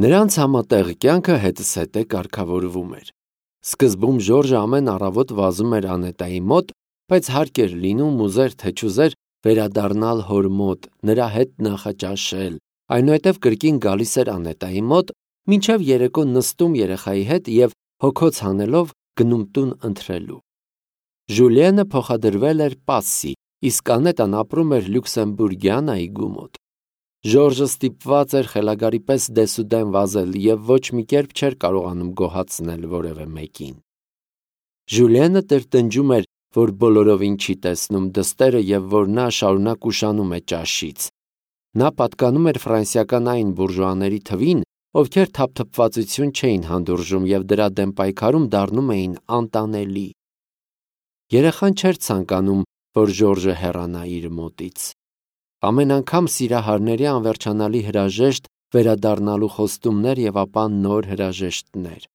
Նրանց համատեղ կյանքը հետզհետե կարգավորվում էր։ Սկզբում Ժորժը ամեն առավոտ վազում էր Անետայի մոտ, բայց հարկ էր լինում ուզեր թե չուզեր վերադառնալ հոր մոտ, նրա հետ նախաճաշել, այնուհետև կրկին գալիս էր Անետայի մոտ, մինչև երեկո նստում երեխայի հետ և հոգոց հանելով գնում տուն ընթրելու։ Ժուլիենը փոխադրվել էր Պասսի, իսկ Անետան ապրում էր Լյուքսեմբուրգյան այգու մոտ։ Ժորժը ստիպված էր խելագարի պես դեսուդեն վազել և ոչ մի կերպ չէր կարողանում գոհացնել որևէ մեկին։ Ժուլիենը տրտնջում էր, որ բոլորովին չի տեսնում դստերը և որ նա շարունակ ուշանում է ճաշից։ Նա պատկանում էր ֆրանսիական այն բուրժուաների թվին, ովքեր թափթփվածություն չէին հանդուրժում և դրա դեմ պայքարում դառնում էին անտանելի։ Երեխան չէր ցանկանում, որ Ժորժը հեռանա իր մոտից։ Ամեն անգամ սիրահարների անվերջանալի հրաժեշտ, վերադառնալու խոստումներ և ապա նոր հրաժեշտներ։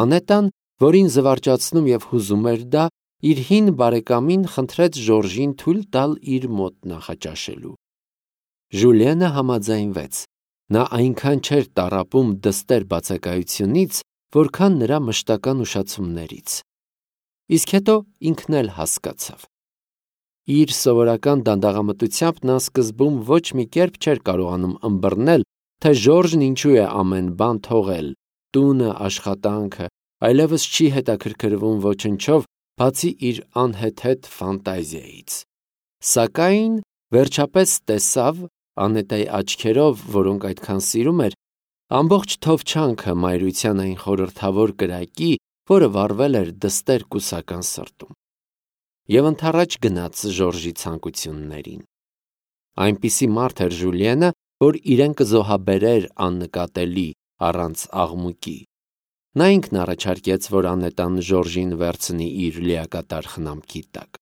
Անետան, որին զվարճացնում և հուզում էր դա, իր հին բարեկամին խնդրեց Ժորժին թույլ տալ իր մոտ նախաճաշելու։ Ժուլիենը համաձայնվեց։ Նա այնքան չէր տառապում դստեր բացակայությունից, որքան նրա մշտական ուշացումներից։ Իսկ հետո ինքն էլ հասկացավ։ Իր սովորական դանդաղամտությամբ նա սկզբում ոչ մի կերպ չէր կարողանում ըմբռնել, թե Ժորժն ինչու է ամեն բան թողել՝ տունը, աշխատանքը, այլևս չի հետաքրքրվում ոչնչով, բացի իր անհեթեթ ֆանտազիայից։ Սակայն վերջապես տեսավ Անետայի աչքերով, որոնք այդքան սիրում էր, ամբողջ թովչանքը մայրության այն խորհրդավոր կրակի, որը վառվել էր դստեր կուսական սրտում։ Եվ ընդառաջ գնաց Ժորժի ցանկություններին։ Այնպիսի մարդ էր Ժուլիենը, որ իրեն կզոհաբերեր աննկատելի, առանց աղմուկի։ Նա ինքն առաջարկեց, որ Անետան Ժորժին վերցնի իր լիակատար խնամքի տակ,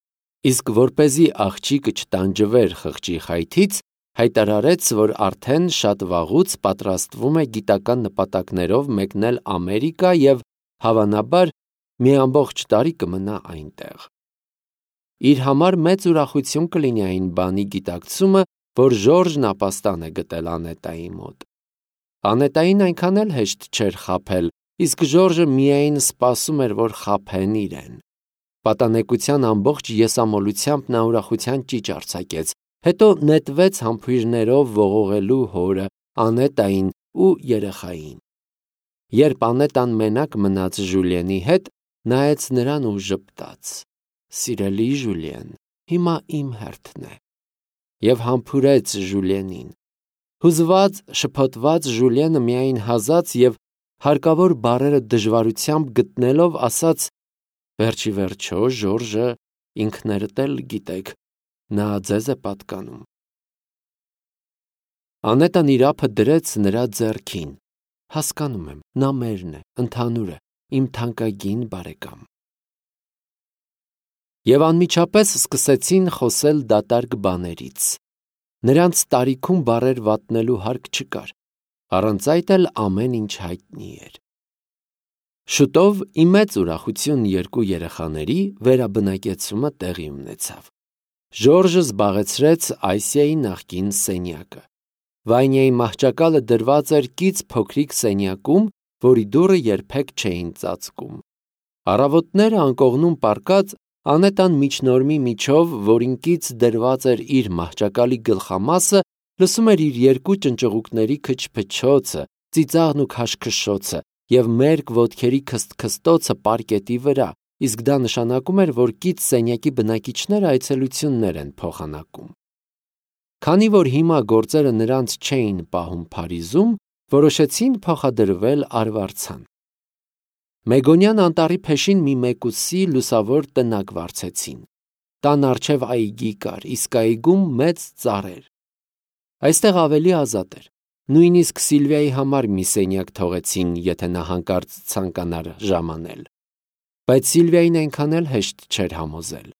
իսկ որպեսզի աղջիկը չտանջվեր խղճի խայթից, հայտարարեց, որ արդեն շատ վաղուց պատրաստվում է գիտական նպատակներով մեկնել Ամերիկա և, հավանաբար, մի ամբողջ տարի կմնա այնտեղ։ Իր համար մեծ ուրախություն կլինի այն բանի գիտակցումը, որ Ժորժն ապաստան է գտել Անետայի մոտ։ Անետային այնքան էլ հեշտ չէր խաբել, իսկ Ժորժը միայն սպասում էր, որ խաբեն իրեն։ Պատանեկության ամբողջ եսամոլությամբ նա ուրախության ճիչ արձակեց, հետո նետվեց համբույրներով ողողելու հորը, Անետային ու երեխային։ Երբ Անետան մենակ մնաց Ժուլիենի հետ, նայեց նրան ու ժպտաց. «Սիրելի Ժուլիեն, հիմա իմ հերթն է»։ Եվ համբուրեց Ժուլիենին։ Հուզված, շփոթված Ժուլիենը միայն հազաց և հարկավոր բառերը դժվարությամբ գտնելով ասաց. «Վերջի վերջո, Ժորժը, ինքներդ էլ գիտեք, նա ձեզ է պատկանում»։ Անետան իր ափը դրեց նրա ձեռքին։ Հասկանում եմ, նա մերն է, ընդհանուր է, իմ թանկագին բարեկամ։ Եվ անմիջապես սկսեցին խոսել դատարկ բաներից։ Նրանց տարիքում բառեր վատնելու հարկ չկար, առանց այդ էլ ամեն ինչ հայտնի էր։ Շուտով ի մեծ ուրախություն երկու երեխաների վերաբնակեցումը տեղի ունեցավ։ Ժորժը զբաղեցրեց Այսիայի նախկին սենյակը։ Վանյայի մահճակալը դրված էր կից փոքրիկ սենյակում, որի դուռը երբեք չէին ծածկում։ Առավոտները անկողնում պառկած Անետան միջնորմի միջով, որին կից դրված էր իր մահճակալի գլխամասը, լսում էր իր երկու ճնճղուկների քչփչոցը, ծիծաղն ու քաշքշոցը և մերկ ոտքերի քստքստոցը պարկետի վրա, իսկ դա նշանակում էր, որ կից սենյակի բնակիչները այցելություններ են փոխանակում։ Քանի որ հիմա գործերը նրանց չէին պահում Փարիզում, որոշեցին փոխադրվել Արվարձան։ Մեգոնյան անտառի փեշին մի մեկուսի լուսավոր տնակ վարձեցին։ Տան առջև այգի կար, իսկ այգում մեծ ծառեր։ Այստեղ ավելի ազատ էր։ Նույնիսկ Սիլվիայի համար մի սենյակ թողեցին, եթե նա հանկարծ ցանկանար ժամանել։ Բայց Սիլվիային այնքան էլ հեշտ չէր համոզել։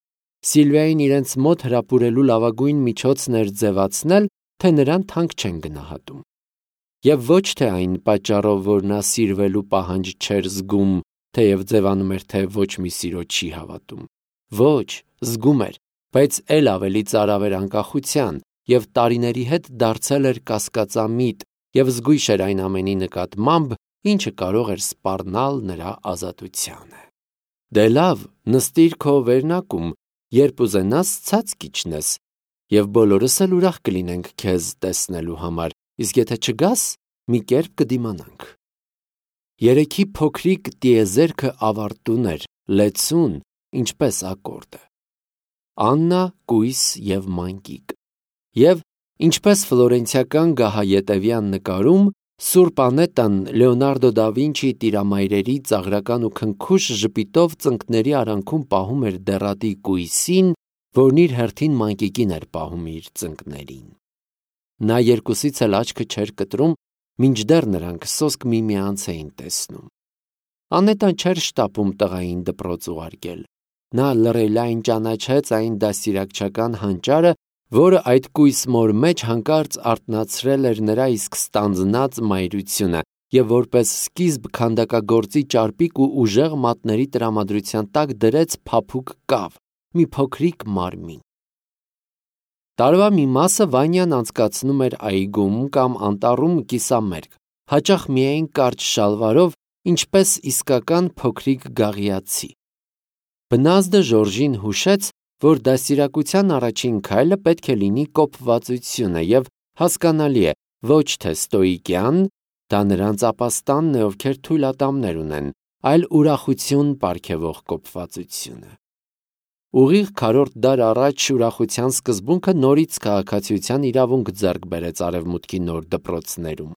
Սիլվիային իրենց մոտ հրապուրելու լավագույն միջոցն էր ձևացնել, թե նրան թանկ չեն գնահատում։ Եվ ոչ թե այն պատճառով, որ նա սիրվելու պահանջ չէր զգում, թեև ձևանում էր, թե ոչ մի սիրո չի հավատում։ Ոչ, զգում էր, բայց էլ ավելի ծարավ էր անկախության և տարիների հետ դարձել էր կասկածամիտ, և զգույշ էր այն ամենի նկատմամբ, ինչը կարող էր սպառնալ նրա ազատությանը։ Դե լավ, նստիր քո վերնակում, երբ ուզենաս ցած կիջնես, և բոլորս էլ ուրախ կլինենք քեզ տեսնելու համար, իսկ եթե չգաս, մի կերպ կդիմանանք։ Երեքի փոքրիկ տիեզերքը ավարտուն էր, լեցուն, ինչպես ակորդը։ Աննա, կույս և մանկիկ։ Եվ, ինչպես ֆլորենցիական գահաետևյան նկարում, Սուրբ Անետան Լեոնարդո դա Վինչիի տիրամայրերի ծաղրական ու քնքուշ ժպիտով ծնկների արանքում պահում էր դեռատի կույսին, որն իր հերթին մանկիկին էր պահում իր ծնկներին։ Նա երկուսից էլ աչքը չէր կտրում, մինչդեռ նրանք սոսկ միմյանց էին տեսնում։ Անետան չէր շտապում տղային դպրոց ուղարկել։ Նա լռելային ճանաչեց այն դաստիարակչական հանճարը, որը այդ կույս մոր մեջ հանկարծ արթնացրել էր նրա իսկ ստանձնած մայրությունը և որպես սկիզբ քանդակագործի ճարպիկ ու ուժեղ մատների տրամադրության տակ դրեց փափուկ կավ, մի փոքրիկ մարմին։ Տարվա մի մասը Վանյան անցկացնում էր այգում կամ անտառում կիսամերկ, հաճախ միայն կարճ շալվարով, ինչպես իսկական փոքրիկ գաղիացի։ Բնազդը Ժորժին հուշեց, որ դաստիարակության առաջին քայլը պետք է լինի կոփվածությունը և հասկանալի է, ոչ թե ստոիկյան, դա նրանց ապաստանն է, ովքեր թույլ ատամներ ունեն, այլ ուրախություն պարգևող կոփվածությունը։ Ուղիղ քառորդ դար առաջ ուրախության սկզբունքը նորից քաղաքացիության իրավունք ձեռք բերեց Արևմուտքի նոր դպրոցներում։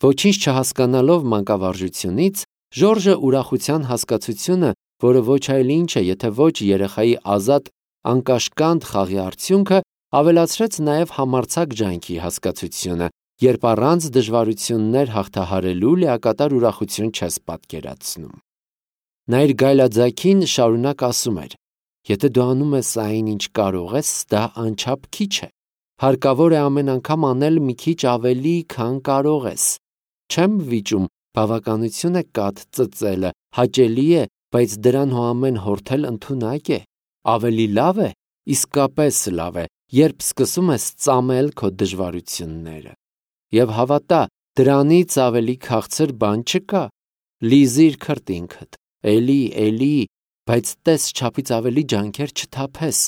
Ոչինչ չհասկանալով մանկավարժությունից, Ժորժը ուրախության հասկացությունը, որը ոչ այլ ինչ է, եթե ոչ երեխայի ազատ անկաշկանդ խաղի արդյունքը, ավելացրեց նաև համարձակ ջանքի հասկացությունը, երբ առանց դժվարություններ հաղթահարելու լիակատար ուրախություն չես պատկերացնում։ Նա իր գայլաձագին շարունակ ասում էր. «Եթե դու անում ես այն, ինչ կարող ես, դա անչափ քիչ է։ Հարկավոր է ամեն անգամ անել մի քիչ ավելի, քան կարող ես։ Չեմ վիճում, բավականություն է կաթ ծծելը, հաճելի է, բայց դրան հոամեն հորթել ընդունակ է։ Ավելի լավ է, իսկապես լավ է, երբ սկսում ես ծամել քո դժվարությունները։ Եվ հավատա, դրանից ավելի քաղցր բան չկա։ Լիզիր քրտինքդ, էլի, բայց տես չափից ավելի ջանքեր չթափես։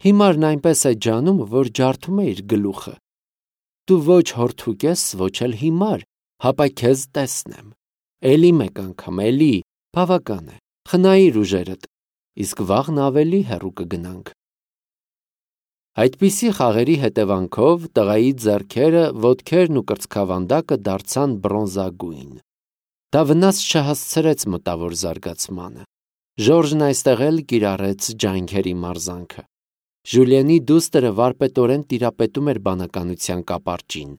Հիմարն այնպես է ջանում, որ ջարդում է իր գլուխը։ Դու ոչ հորթուկ ես, ոչ էլ հիմար, հապա քեզ տեսնեմ։ Էլի մեկ անգամ, էլի, բավական է, խնայիր ուժերդ, իսկ վաղն ավելի հեռու կգնանք»։ Այդպիսի խաղերի հետևանքով տղայի ձեռքերը, ոտքերն ու կրծքավանդակը դարձան բրոնզագույն։ Դա վնաս չհասցրեց մտավոր զարգացմանը։ Ժորժն այստեղ էլ կիրառեց ջանքերի մարզանքը։ Ժուլիենի դուստրը վարպետորեն տիրապետում էր բանականության կապարճին։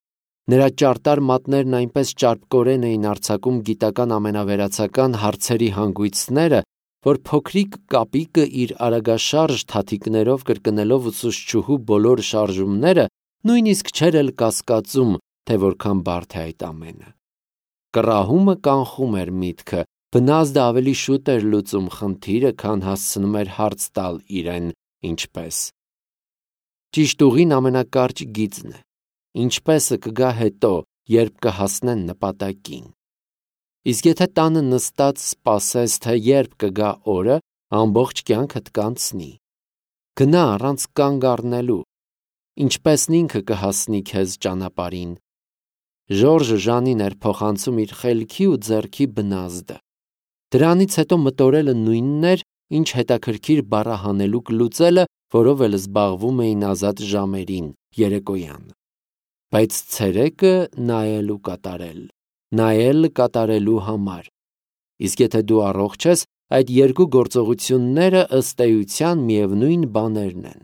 Նրա ճարտար մատներն այնպես ճարպկորեն էին արձակում գիտական ամենավերացական հարցերի հանգույցները, որ փոքրիկ կապիկը իր արագաշարժ թաթիկներով կրկնելով ուսուցչուհու բոլոր շարժումները նույնիսկ չէր էլ կասկածում, թե որքան բարդ է այդ ամենը։ Կռահումը կանխում էր միտքը, բնազդը ավելի շուտ էր լուծում խնդիրը, քան հասցնում էր հարց տալ իրեն ինչպես։ Ճիշտ ուղին ամենակարճ գիծն է։ Ինչպեսը կգա հետո, երբ կհասնեն նպատակին։ Իսկ եթե տանը նստած սպասես, թե երբ կգա օրը, ամբողջ կյանքդ կանցնի։ Գնա առանց կանգ առնելու, ինչպեսն ինքը կհասնի քեզ ճանապարհին։ Ժորժը Ժանին էր փոխանցում իր խելքի ու ձեռքի բնազդը։ Դրանից հետո մտորելը նույնն էր, ինչ հետաքրքիր բառահանելուկ լուծելը, որով էլ զբաղվում էին ազատ ժամերին, երեկոյան։ Բայց ցերեկը նայել կատարելու համար։ Իսկ եթե դու առողջ ես, այդ երկու գործողությունները ըստ էության միևնույն բաներն են։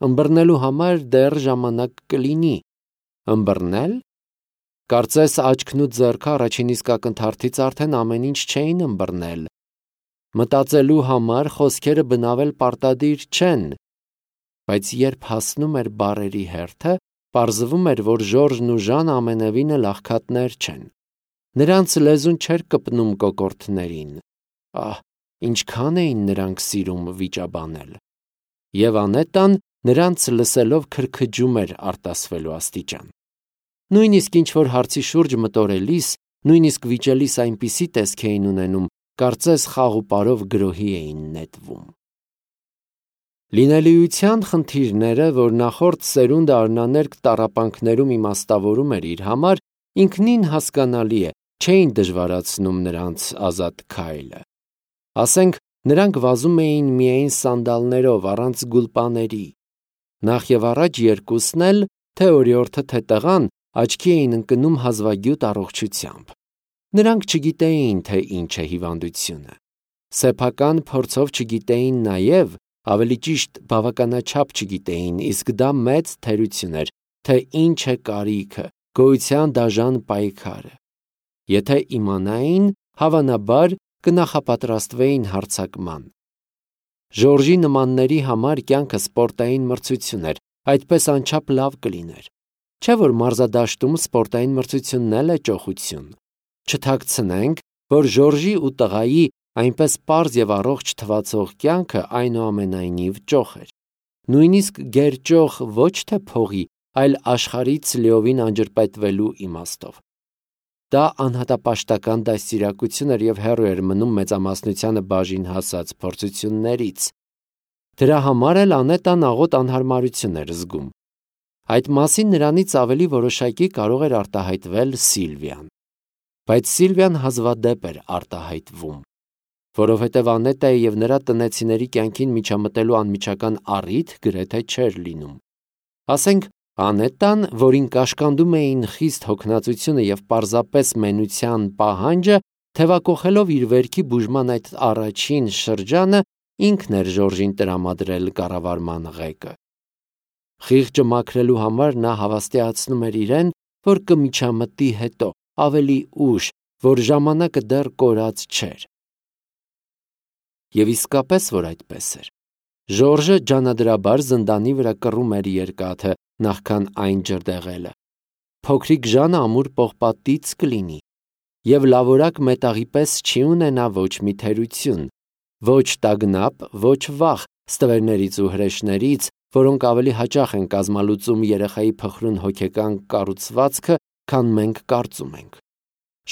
Ըմբռնելու համար դեռ ժամանակ կլինի։ Ըմբռնել։ Կարծես աչքն ու ձեռքը առաջին իսկ ակնթարթից արդեն ամեն ինչ չէին ըմբռնել։ Մտածելու համար խոսքերը բնավել պարտադիր չեն։ Բայց երբ հասնում էր բառերի հերթը, պարզվում էր, որ Ժորժն ու Ժանը ամենևին էլ աղքատներ չեն։ Նրանց լեզուն չէր կպնում կոկորդներին։ Ահ, ինչքան էին նրանք սիրում վիճաբանել։ Եվ Անետան նրանց լսելով քրքջում էր արտասվելու աստիճան։ Նույնիսկ ինչ-որ հարցի շուրջ մտորելիս, նույնիսկ վիճելիս այնպիսի տեսք էին ունենում, կարծես խաղ ու պարով գրոհի էին նետվում։ Լինելիության խնդիրները, որ նախորդ սերունդը արնաներկ տառապանքներում իմաստավորում էր իր համար, ինքնին հասկանալի է, չէին դժվարացնում նրանց ազատ քայլը։ Ասենք, նրանք վազում էին միայն սանդալներով, առանց գուլպաների։ Նախ եւ առաջ երկուսն էլ, թե օրիորդը, թե տղան, աչքի էին ընկնում հազվագյուտ առողջությամբ։ Նրանք չգիտեին, թե ինչ է հիվանդությունը։ Սեփական փորձով չգիտեին նաև, ավելի ճիշտ բավականաչափ չգիտեին, իսկ դա մեծ թերություն էր, թե ինչ է կարիքը, գոյության դաժան պայքարը։ Եթե իմանային, հավանաբար կնախապատրաստվեին հարձակման։ Ժորժի նմանների համար կյանքը սպորտային մրցություն էր, այդպես անչափ լավ կլիներ։ Չէ՞ որ մարզադաշտում սպորտային մրցությունն էլ է ճոխություն։ Չթաքցնենք, որ Ժորժի ու տղայի այնպես պարզ եւ առողջ թվացող կյանքը այնուամենայնիվ ճոխ էր։ Նույնիսկ գերճոխ ոչ թե փողի, այլ աշխարհից լիովին անջրպետվելու իմաստով։ Դա անհատապաշտական դաստիարակություն էր եւ հեռու էր մնում մեծամասնությանը բաժին հասած փորձություններից։ Դրա համար էլ անետան աղոտ անհարմարություն էր զգում։ Այդ մասին նրանից ավելի որոշակի կարող էր արտահայտվել Սիլվիան։ Բայց Սիլվիան հազվադեպ էր արտահայտվում, որովհետև Անետայի եւ նրա տնեցիների կյանքին միջամտելու անմիջական առիթ գրեթե չէր լինում։ Ասենք, Անետան, որին կաշկանդում էին խիստ հոգնածությունը եւ պարզապես մենության պահանջը, թևակոխելով իր վերքի բուժման այդ առաջին շրջանը, ինքն էր Ժորժին տրամադրել կառավարման ղեկը։ Խիղճը մաքրելու համար նա հավաստիացնում էր իրեն, որ կմիջամտի հետո, ավելի ուշ, որ ժամանակը դեռ կորած չէր։ Եվ իսկապես, որ այդպես էր։ Ժորժը ջանադրաբար զնդանի վրա կռում էր երկաթը, նախքան այն ջրդեղելը։ Փոքրիկ Ժանը ամուր պողպատից կլինի, եւ լավորակ մետաղի պես չի ունենա ոչ մի թերություն, ոչ տագնապ, ոչ վախ ստվերներից ու հրեշներից, որոնք ավելի հաճախ են կազմալուծում երեխայի փխրուն հոգեկան կառուցվածքը, քան մենք կարծում ենք։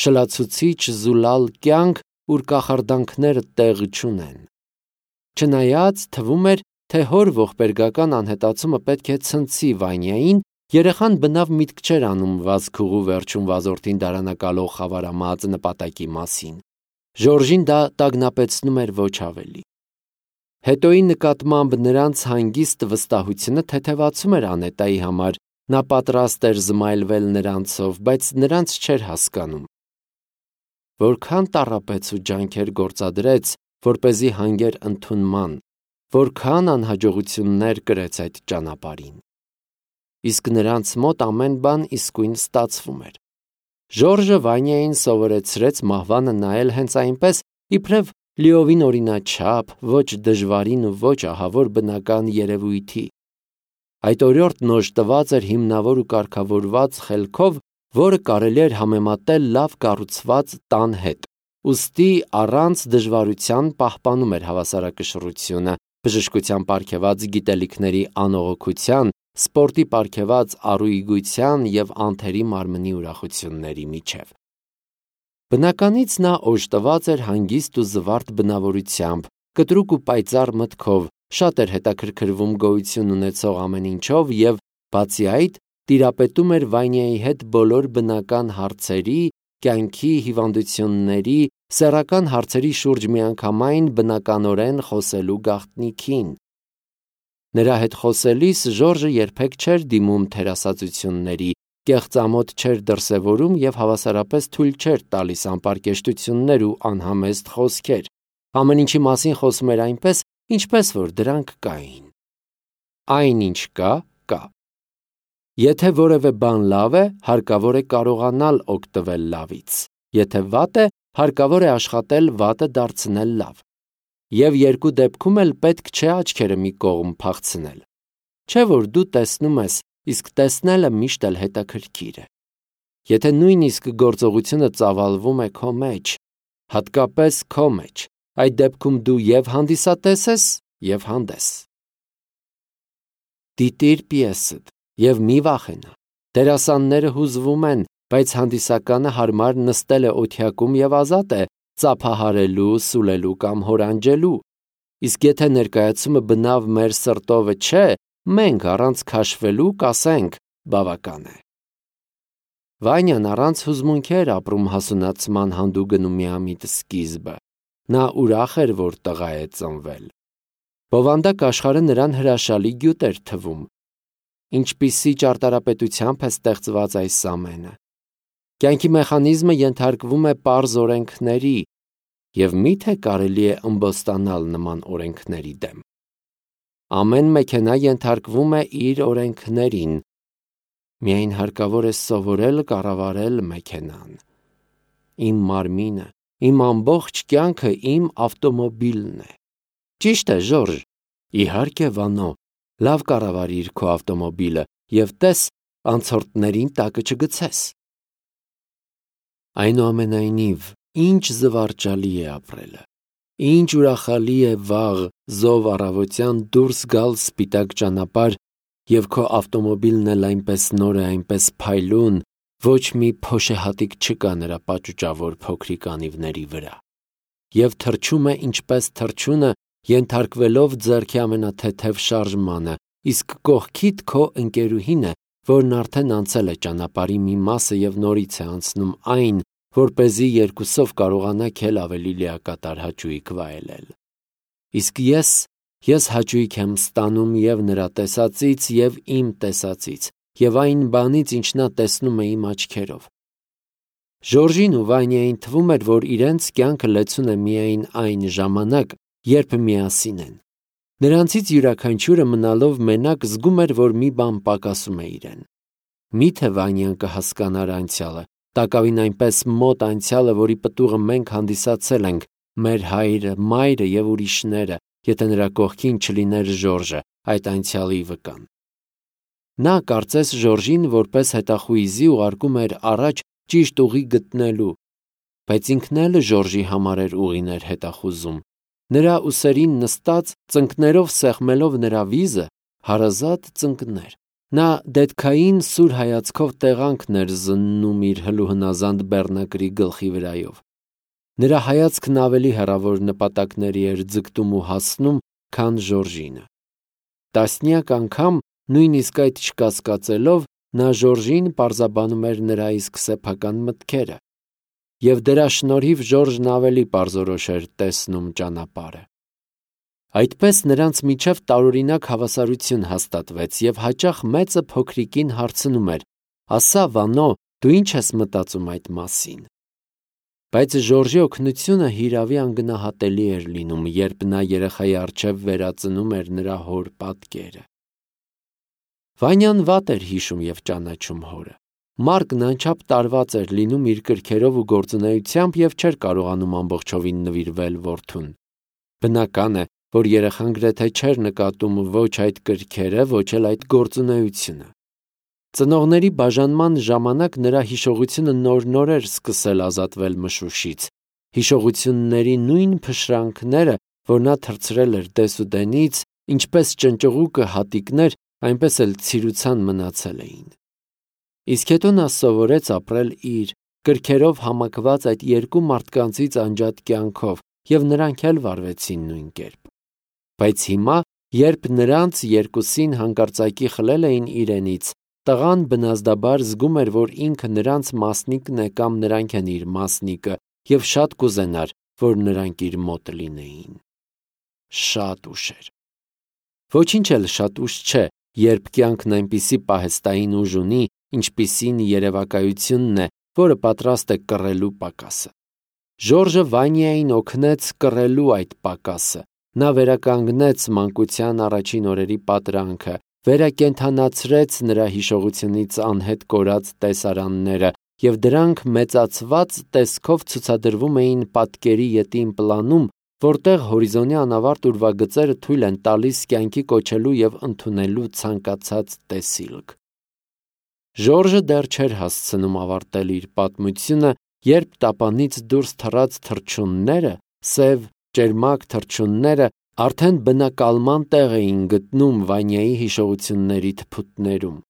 Շլացուցիչ զուլալ կյանք, ուր կախարդանքները տեղ չունեն։ Չնայած թվում էր, թե հոր ողբերգական անհետացումը պետք է ցնցի Վանյային, երեխան բնավ միտք չէր անում վազքուղու վերջում վազորդին դարանակալող խավարամած նպատակի մասին։ Ժորժին դա տագնապեցնում էր ոչ ավելի։ Հետոյի նկատմամբ նրանց հանգիստ վստահությունը թեթևացում էր Անետայի համար, նա պատրաստ էր զմայլվել նրանցով, բայց նրանց չէր հասկանում։ Որքան տառապեց ու ջանքեր գործադրեց, որպեսզի հանգեր ընդունման, որքան անհաջողություններ կրեց այդ ճանապարհին։ Իսկ նրանց մոտ ամեն բան իսկույն ստացվում էր։ Ժորժը Վանյային սովորեցրեց մահվանը նայել հենց այնպես, իբրև լիովին օրինաչափ, ոչ դժվարին ու ոչ ահավոր բնական երևույթի։ Այդ օրիորդն օժտված էր հիմնավոր ու կարգավորված խելքով, որը կարելի էր համեմատել լավ կառուցված տան հետ, ուստի առանց դժվարության պահպանում էր հավասարակշռությունը, բժշկության պարգևած գիտելիքների անողոքության, սպորտի պարգևած առուգույցյան եւ անթերի մարմնի ուրախությունների միջև։ Բնականից նա օժտված էր հանգիստ ու զվարթ բնավորությամբ, կտրուկ ու պայծառ մտքով, շատ էր հետաքրքրվում գոյություն ունեցող ամեն ինչով եւ, բացի այդ, տիրապետում էր Վանյայի հետ բոլոր բնական հարցերի, կյանքի, հիվանդությունների, սեռական հարցերի շուրջ միանգամայն բնականորեն խոսելու գաղտնիքին։ Նրա հետ խոսելիս Ժորժը երբեք չէր դիմում թերասացությունների, կեղծամոտ չէր դրսևորում եւ հավասարապես թույլ չէր տալիս անպարկեշտություններ ու անհամեստ խոսքեր։ Ամեն ինչի մասին խոսում էր այնպես, ինչպես որ դրանք կային։ Այնինչ կա, կա։ Եթե որևէ բան լավ է, հարկավոր է կարողանալ օգտվել լավից։ Եթե վատ է, հարկավոր է աշխատել վատը դարձնել լավ։ Եվ երկու դեպքում էլ պետք չէ աչքերը մի կողմ փախցնել։ Չէ որ դու տեսնում ես, իսկ տեսնելը միշտ էլ հետաքրքիր է։ Եթե նույնիսկ գործողությունը ծավալվում է քո մեջ, հատկապես քո մեջ, այդ դեպքում դու եւ հանդիսատես ես, եւ հանդես։ Դիտիր պիեսդ եւ մի վախենա։ Դերասանները հուզվում են, բայց հանդիսականը հարմար նստել է օթյակում և ազատ է ծափահարելու, սուլելու կամ հորանջելու։ Իսկ եթե ներկայացումը բնավ մեր սրտովը չէ, մենք առանց քաշվելու կասենք բավական է։ Վանյան առանց հուզմունքի էր ապրում հասունացման հանդուգն ու միամիտ սկիզբը։ Նա ուրախ էր, որ տղա է ծնվել։ Բովանդակ աշխարհը նրան հրաշալի գյուտ էր թվում։ Ինչպիսի ճարտարապետությամբ է ստեղծված այս ամենը։ Կյանքի մեխանիզմը ենթարկվում է պարզ օրենքների, և միթե կարելի է ըմբոստանալ նման օրենքների դեմ։ Ամեն մեքենա ենթարկվում է իր օրենքներին։ Միայն հարկավոր է սովորել կառավարել մեքենան։ Իմ մարմինը, իմ ամբողջ կյանքը իմ ավտոմոբիլն է։ Ճիշտ է, Ժորժ։ Իհարկե, Վանո, լավ կառավարիր քո ավտոմոբիլը և տես անցորդներին տակը չգցես։ Այնուամենայնիվ, ինչ զվարճալի է ապրելը։ Ինչ ուրախալի է վաղ զով առավոտյան դուրս գալ սպիտակ ճանապարհ, և քո ավտոմոբիլն էլ այնպես նոր է, այնպես փայլուն, ոչ մի փոշեհատիկ չկա նրա պաճուճավոր փոքրիկ անիվների վրա։ Եվ թռչում է ինչպես թռչունը, ենթարկվելով ձեռքի ամենաթեթև շարժմանը, իսկ կողքիդ քո ընկերուհին է, որն արդեն անցել է ճանապարհի մի մասը և նորից է անցնում այն, որպեսզի երկուսով կարողանաք էլ ավելի լիակատար հաճույք վայելել։ Իսկ ես հաճույք եմ ստանում և նրա տեսածից, և իմ տեսածից, և այն բանից, ինչ նա տեսնում է իմ աչքերով։ Ժորժին ու Վանյային թվում էր, որ իրենց կյանքը լեցուն է միայն այն ժամանակ, երբ միասին են։ Նրանցից յուրաքանչյուրը մնալով մենակ զգում էր, որ մի բան պակասում է իրեն։ Միթե Վանյան կհասկանար անցյալը, տակավին այնպես մոտ անցյալը, որի պտուղը մենք հանդիսացել ենք, մեր հայրը, մայրը և ուրիշները, եթե նրա կողքին չլիներ Ժորժը, այդ անցյալի վկան։ Նա կարծես Ժորժին որպես հետախույզի ուղարկում էր առաջ ճիշտ ուղի գտնելու, բայց ինքն էլ Ժորժի համար էր ուղիներ հետախուզում։ Նրա ուսերին նստած, ծնկներով սեղմելով նրա վիզը, հարազատ ծնկներ։ Նա դետքային սուր հայացքով տեղանքն էր զննում իր հլուհնազանդ բեռնակրի գլխի վրայով։ Նրա հայացքն ավելի հեռավոր նպատակների էր ձգտում ու հասնում, քան Ժորժինը։ Տասնյակ անգամ, նույնիսկ այդ չկասկածելով, նա Ժորժին պարզաբանում էր նրա իսկ սեփական մտքերը, և դրա շնորհիվ Ժորժն ավելի պարզորոշ էր տեսնում ճանապարհը։ Այդպես նրանց միջև տարօրինակ հավասարություն հաստատվեց, և հաճախ մեծը փոքրիկին հարցնում էր. «Ասա, Վանո, դու ինչ ես մտածում այդ մասին»։ Բայց Ժորժի օգնությունը հիրավի անգնահատելի էր լինում, երբ նա երեխայի առջև վերածնում էր նրա հոր պատկերը։ Վանյան վատ էր հիշում և ճանաչում հորը։ Մարկն անչափ տարված էր լինում իր կրքերով ու գործունեությամբ և չէր կարողանում ամբողջովին նվիրվել որդուն։ Բնական է, որ երեխան գրեթե չէր նկատում ոչ այդ կրքերը, ոչ էլ այդ գործունեությունը։ Ծնողների բաժանման ժամանակ նրա հիշողությունը նոր-նոր էր սկսել ազատվել մշուշից, հիշողությունների նույն փշրանքները, որ նա թռցրել էր դեսուդենից, ինչպես ճնճղուկը հատիկներ, այնպես էլ ցիրուցան մնացել էին։ Իսկ հետո նա սովորեց ապրել իր կրքերով համակված այդ երկու մարդկանցից անջատ կյանքով, և նրանք էլ վարվեցին նույն կերպ։ Բայց հիմա, երբ նրանց երկուսին հանկարծակի խլել էին իրենից, տղան բնազդաբար զգում էր, որ ինքը նրանց մասնիկն է կամ նրանք են իր մասնիկը, և շատ կուզենար, որ նրանք իր մոտ լինեին։ Շատ ուշ էր։ Ոչինչ էլ շատ ուշ չէ, երբ կյանքն այնպիսի պահեստային ուժ ունի, ինչպիսին երևակայությունն է, որը պատրաստ է կռելու պակասը։ Ժորժը Վանյային օգնեց կռելու այդ պակասը։ Նա վերականգնեց մանկության առաջին օրերի պատրանքը, վերակենդանացրեց նրա հիշողությունից անհետ կորած տեսարանները, և դրանք մեծացված տեսքով ցուցադրվում էին պատկերի ետին պլանում, որտեղ հորիզոնի անավարտ ուրվագծերը թույլ են տալիս կյանքի կոչելու և ընդունելու ցանկացած տեսիլք։ Ժորժը դեռ չէր հասցնում ավարտել իր պատմությունը, երբ տապանից դուրս թռած թռչունները, սև, ճերմակ թռչունները, արդեն բնակալման տեղ էին գտնում Վանյայի հիշողությունների թփուտներում։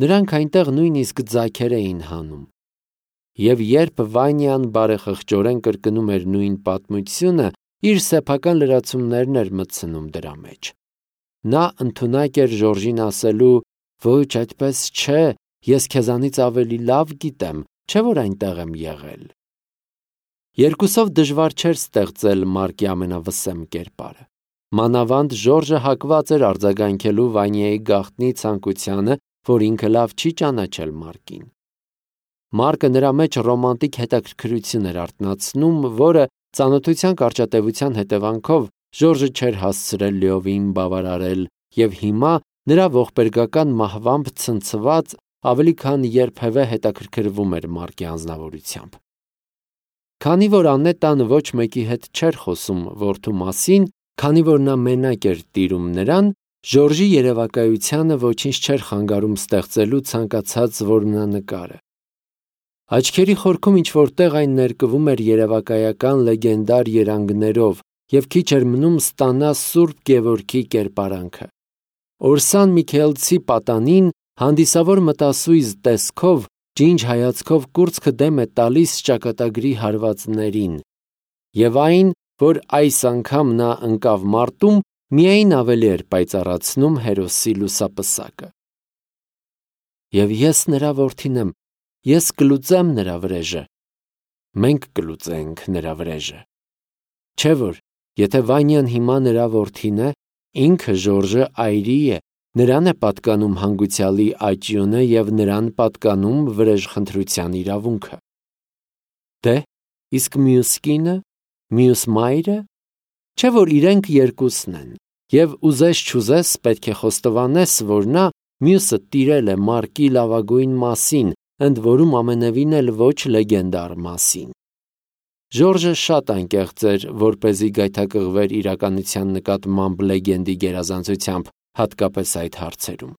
Նրանք այնտեղ նույնիսկ ձագեր էին հանում։ Եվ երբ Վանյան բարեխղճորեն կրկնում էր նույն պատմությունը, իր սեփական լրացումներն էր մտցնում դրա մեջ։ Նա ընդունակ էր Ժորժին ասելու. «Ոչ, այդպես չէ, ես քեզանից ավելի լավ գիտեմ, չէ՞ որ այնտեղ եմ եղել»։ Երկուսով դժվար չէր ստեղծել Մարկի ամենավսեմ կերպարը։ Մանավանդ Ժորժը հակված էր արձագանքելու Վանյայի գաղտնի ցանկությանը, որ ինքը լավ չի ճանաչել Մարկին։ Մարկը նրա մեջ ռոմանտիկ հետաքրքրություն էր արթնացնում, որը ծանոթության կարճատևության հետևանքով Ժորժը չէր հասցրել լիովին բավարարել, եւ հիմա նրա ողբերգական մահվամբ ցնցված ավելի քան երբևէ հետաքրքրվում էր Մարկի անձնավորությամբ։ Քանի որ Անետան ոչ մեկի հետ չէր խոսում որդու մասին, քանի որ նա մենակ էր տիրում նրան, Ժորժի երևակայությանը ոչինչ չէր խանգարում ստեղծելու ցանկացած որմնանկարը։ Աչքերի խորքում ինչ-որտեղ այն ներկվում էր երևակայական լեգենդար երանգներով, եւ քիչ էր մնում ստանա Սուրբ Գևորգի կերպարանքը։ Օրսան Միքայելցի պատանին հանդիսավոր մտասույզ տեսքով, ջինջ հայացքով կուրծքը դեմ է տալիս ճակատագրի հարվածներին, եւ այն, որ այս անգամ նա ընկավ մարտում, միայն ավելի էր պայծառացնում հերոսի լուսապսակը։ Եվ ես նրա որդին եմ, ես կլուծեմ նրա վրեժը։ Մենք կլուծենք նրա վրեժը։ Չէ՞ որ, եթե Վանյան հիմա նրա որդին է, ինքը Ժորժը այրի է, նրան է պատկանում հանգուցյալի աճյունը եւ նրան պատկանում վրեժխնդրության իրավունքը։ Դե, իսկ մյուս կինը, մյուս մայրը, չէ՞ որ իրենք երկուսն են, եւ ուզես չուզես պետք է խոստովանես, որ նա մյուսը տիրել է Մարկի լավագույն մասին, ընդ որում ամենևին էլ ոչ լեգենդար մասին։ Ժորժը շատ անկեղծ էր, որպեսզի գայթակղվեր իրականության նկատմամբ լեգենդի գերազանցությամբ, հատկապես այդ հարցերում։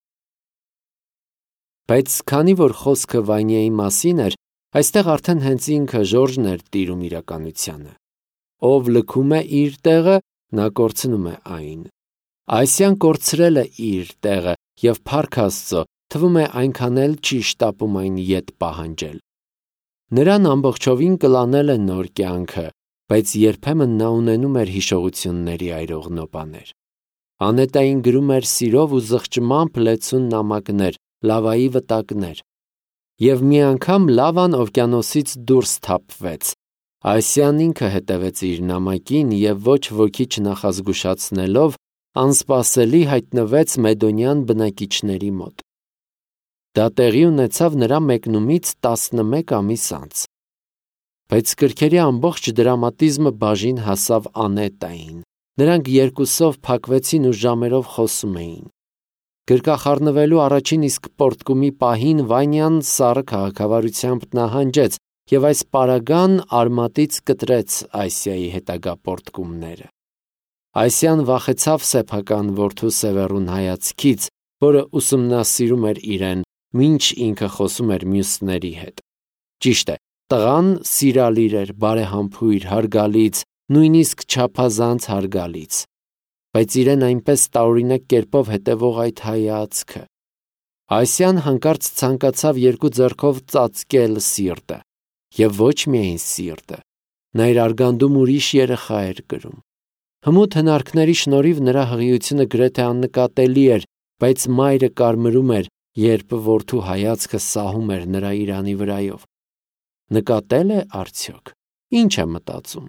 Բայց քանի որ խոսքը Վանյայի մասին էր, այստեղ արդեն հենց ինքը Ժորժն էր տիրում իրականությանը։ Ով լքում է իր տեղը, նա կորցնում է այն։ Այսյան կորցրել է իր տեղը եւ փառք Աստծո, թվում է այնքան էլ չի շտապում այն ետ պահանջել։ Նրան ամբողջովին կլանել է նոր կյանքը, բայց երբեմն նա ունենում էր հիշողությունների այրող նոպաներ։ Անետային գրում էր սիրով ու զղջմամբ լեցուն նամակներ, լավայի վտակներ։ Եվ մի անգամ Լավան օվկիանոսից դուրս թափվեց։ Այսյան ինքը հետևեց իր նամակին եւ ոչ ոքի չնախազգուշացնելով անսպասելի հայտնվեց Մեդոնյան բնակիչների մոտ։ Դա տեղի ունեցավ նրա մեկնումից 11 ամիս անց։ Բայց կրքերի ամբողջ դրամատիզմը բաժին հասավ Անետային։ Նրանք երկուսով փակվեցին ու ժամերով խոսում էին։ Գրկախառնվելու առաջին իսկ պորտկումի պահին Վանյան սառը քաղաքավարությամբ նահանջեց եւ այս պարագան արմատից կտրեց Այսիայի հետագա պորտկումները։ Այսյան վախեցավ սեփական որդու Սևեռուն հայացքից, որը ուսումնասիրում էր իրեն, մինչ ինքը խոսում էր մյուսների հետ։ Ճիշտ է, տղան սիրալիր էր, բարեհամբույր, հարգալից, նույնիսկ չափազանց հարգալից, բայց իրեն այնպես տարօրինակ կերպով հետևող այդ հայացքը։ Այսյան հանկարծ ցանկացավ երկու ձեռքով ծածկել սիրտը, եւ ոչ միայն սիրտը, նա իր արգանդում ուրիշ երեխա էր կրում։ Հմուտ հնարքների շնորհիվ նրա հղիությունը գրեթե աննկատելի էր, բայց մայրը կարմրում էր, երբ որդու հայացքը սահում էր նրա իրանի վրայով։ Նկատել է արդյոք։ Ինչ է մտածում։